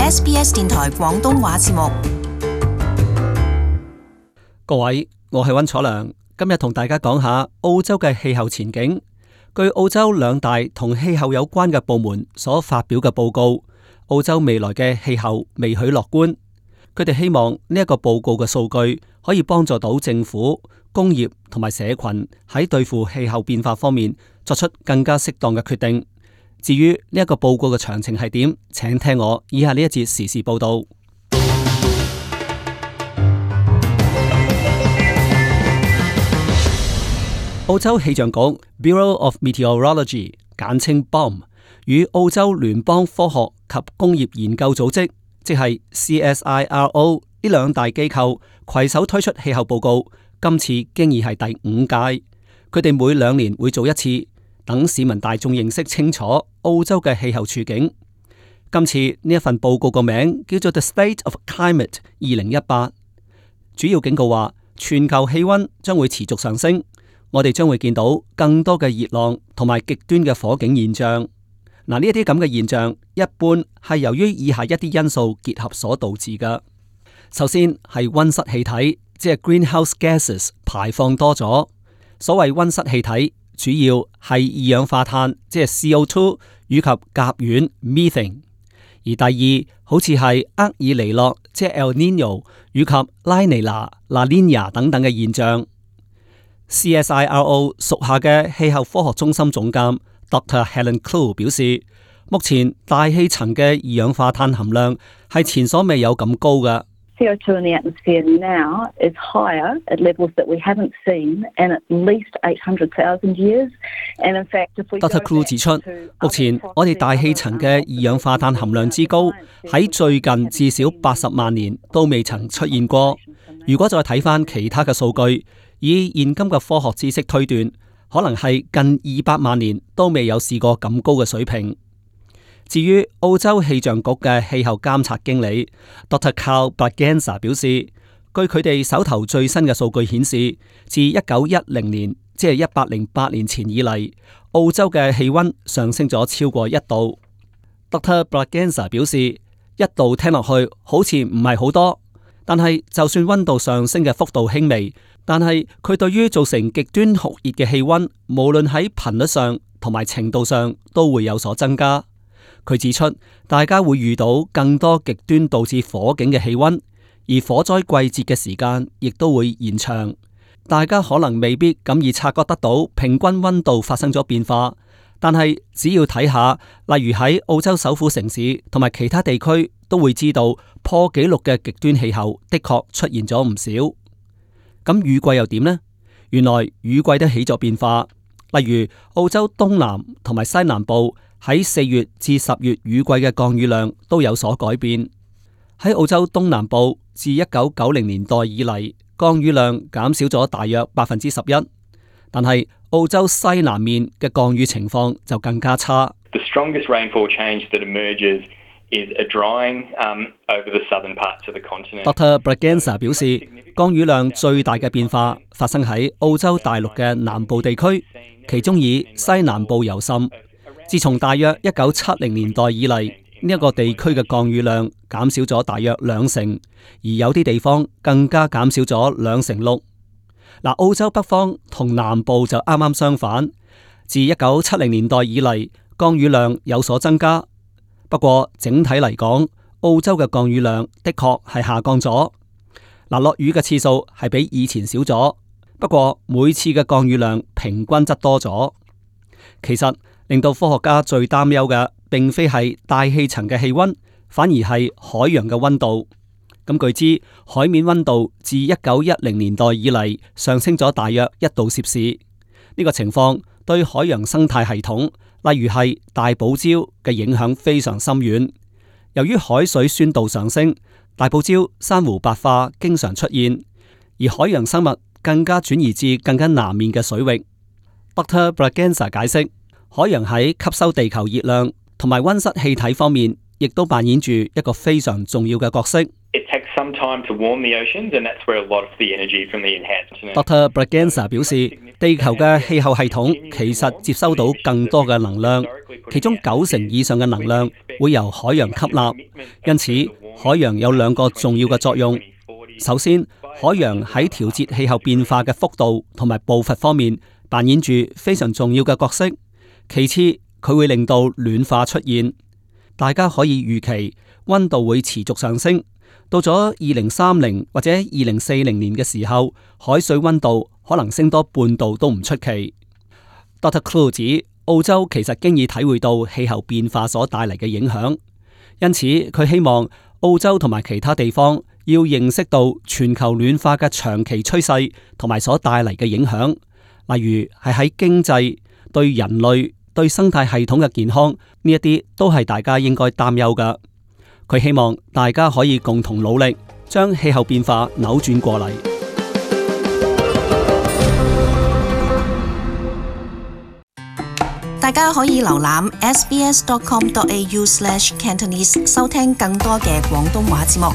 SBS 電台廣東話節目。各位，我係溫楚良，今日同大家講下澳洲嘅氣候前景。據澳洲兩大同氣候有關嘅部門所發表嘅報告，澳洲未來嘅氣候未許樂觀。佢哋希望呢一個報告嘅數據可以幫助到政府、工業同埋社群喺對付氣候變化方面作出更加適當嘅決定。至於呢一個報告嘅詳情係點，請聽我以下呢一節時事報道。澳洲氣象局 Bureau of Meteorology 簡稱 BOM 與澳洲聯邦科學及工業研究組織即係 CSIRO 呢兩大機構攜手推出氣候報告，今次經已係第5屆。佢哋每2年會做一次，等市民大眾認識清楚澳洲嘅氣候處境。今次呢一份報告個名叫做 The State of Climate 2018，主要警告話全球氣溫將會持續上升。我哋將會見到更多嘅熱浪同埋極端嘅火警現象。嗱，呢一啲咁嘅現象，一般係由於以下一啲因素結合所導致嘅。首先係溫室氣體，即係 greenhouse gases 排放多咗。所謂溫室氣體，主要係二氧化碳，即係 CO2 以及甲烷 methane。而第二，好似係厄爾尼諾，即係 El Nino 以及拉尼娜 La Nina 等等嘅現象。CSIRO 屬下嘅氣候科學中心總監 Dr. Helen Clue 表示，目前大氣層嘅二氧化碳含量係前所未有咁高嘅。CO2 in the atmosphere now is higher at levels that we haven't seen in at least 800,000 years. And in fact, if we Dr. Clue 指出，目前我哋大氣層嘅二氧化碳含量之高，喺最近至少80萬年都未曾出現過。如果再睇翻其他嘅數據，以現今嘅科學知識推斷，可能係近200萬年都未有試過咁高嘅水平。至於澳洲氣象局嘅氣候監察經理 Dr. Carl Braganza 表示，據佢哋手頭最新嘅數據顯示，自1910年，即係108年前以嚟，澳洲嘅氣溫上升咗超過1度。Dr. Braganza 表示，1度聽落去好似唔係好多，但係就算溫度上升嘅幅度輕微，但係佢對於造成極端酷熱嘅氣溫，無論喺頻率上同埋程度上都會有所增加。佢指出，大家會遇到更多極端導致火警嘅氣溫，而火災季節嘅時間亦都會延長。大家可能未必咁易察覺得到平均溫度發生咗變化，但係只要睇下，例如喺澳洲首府城市同埋其他地區，都會知道破紀錄嘅極端氣候的確出現咗唔少。咁雨季又點呢？原來雨季都起咗變化，例如澳洲東南同埋西南部喺4月至10月雨季嘅降雨量都有所改變。喺澳洲東南部，自1990年代以嚟，降雨量減少咗大約11%，但係澳洲西南面嘅降雨情況就更加差。The strongest rainfall change that emerges is a drying over the southern parts of the continent. Dr. Braganza 表示，降雨量最大嘅變化發生喺澳洲大陸嘅南部地區，其中以西南部尤甚。自從大約1970年代以嚟，呢一個地區嘅降雨量減少咗大約2成，而有啲地方更加減少咗6%。澳洲北方同南部就啱啱相反，自1970年代以嚟，降雨量有所增加。不過整體嚟講，澳洲嘅降雨量的確係下降咗。落雨嘅次數係比以前少咗，不過每次嘅降雨量平均則多咗。其實令到科學家最擔憂嘅，並非係大氣層嘅氣溫，反而係海洋嘅溫度。咁據知，海面溫度自1910年代以嚟上升咗大約1度攝氏。呢個情況對海洋生態系統，例如係大堡礁嘅影響非常深遠。由於海水酸度上升，大堡礁珊瑚白化經常出現，而海洋生物更加轉移至更加南面嘅水域。Dr. Braganza 解釋，海洋喺吸收地球熱量同埋溫室氣體方面，亦都扮演住一個非常重要嘅角色。It takes some time to warm the oceans, and that's where a lot of the energy from the enhancement. Dr. Braganza 表示，地球嘅氣候系統其實接收到更多嘅能量，其中90%以上嘅能量會由海洋吸納，因此海洋有兩個重要嘅作用。首先，海洋喺調節氣候變化嘅幅度同埋步伐方面扮演住非常重要嘅角色。其次，佢會令到暖化出現，大家可以預期溫度會持續上升。到咗2030或者2040年嘅時候，海水溫度可能升多半度都唔出奇。Dr. Clue 指澳洲其實經已體會到氣候變化所帶嚟嘅影響，因此佢希望澳洲同埋其他地方要認識到全球暖化嘅長期趨勢同埋所帶嚟嘅影響，例如係喺經濟、對人類、對生態系統嘅健康呢一啲都係大家應該擔憂㗎。佢希望大家可以共同努力，將氣候變化扭轉過嚟。大家可以瀏覽 sbs.com.au/Cantonese 收聽更多嘅廣東話節目。